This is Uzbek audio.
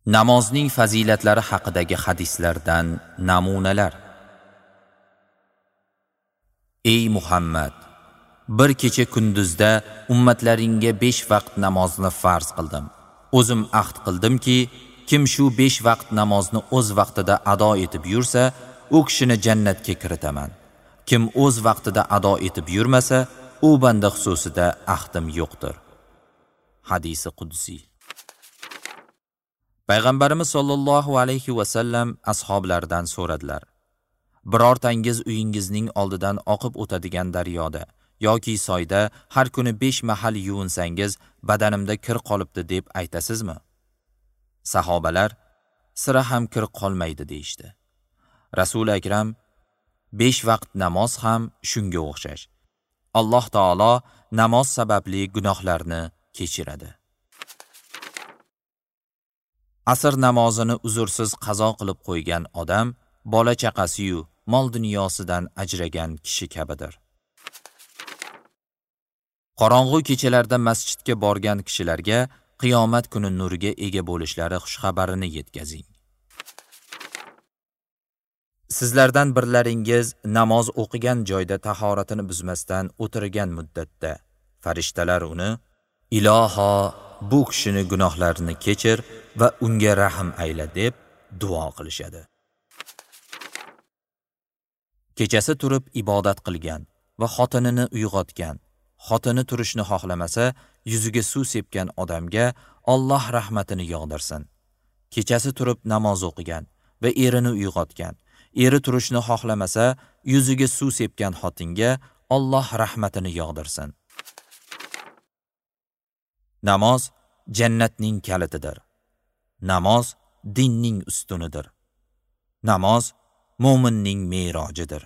Namozning fazilatlari haqidagi hadislardan namunalar. Ey Muhammad, bir kecha kunduzda ummatlaringga 5 vaqt namozni farz qildim. O'zim ahd qildimki, kim shu 5 vaqt namozni o'z vaqtida ado etib yursa, u kishini jannatga kiritaman. Kim o'z vaqtida ado etib yurmasa, u banda xususida ahdim yo'qdir. Hadisi qudsiy. Payg'ambarimiz sollallohu alayhi va sallam ashablaridan so'radilar: birortangiz uyingizning oldidan oqib o'tadigan daryoda yoki soyda har kuni 5 mahal yuvinsangiz, badanimda kir qolibdi deb aytasizmi? Sahobalar sira ham kir qolmaydi deyishdi. Rasul Akram 5 vaqt namoz ham shunga o'xshash. Alloh taolo namoz sababli gunohlarni kechiradi. Asr namozini uzrsiz qazo qilib qo'ygan odam bola chaqasi-yu mol dunyosidan ajragan kishi kabidir. Qorong'u kechalarda masjidga borgan kishilarga qiyomat kuni nurga ega bo'lishlari xushxabarini yetkazing. Sizlardan birlaringiz namoz o'qigan joyda tahoratini buzmasdan o'tirgan muddatda farishtalar uni: "Iloho, bu kishini gunohlarini kechir va unga rahm ayla" deb duo qilishadi. Kechasi turib ibodat qilgan va xotinini uyg'otgan, xotini turishni xohlamasa, yuziga suv sepgan odamga Alloh rahmatini yog'dirsin. Kechasi turib namoz o'qigan va erini uyg'otgan, eri turishni xohlamasa, yuziga suv sepgan xotinga Alloh rahmatini yog'dirsin. Namoz jannatning kalitidir. Namoz dinning ustunidir. Namoz mo'minning me'rojidir.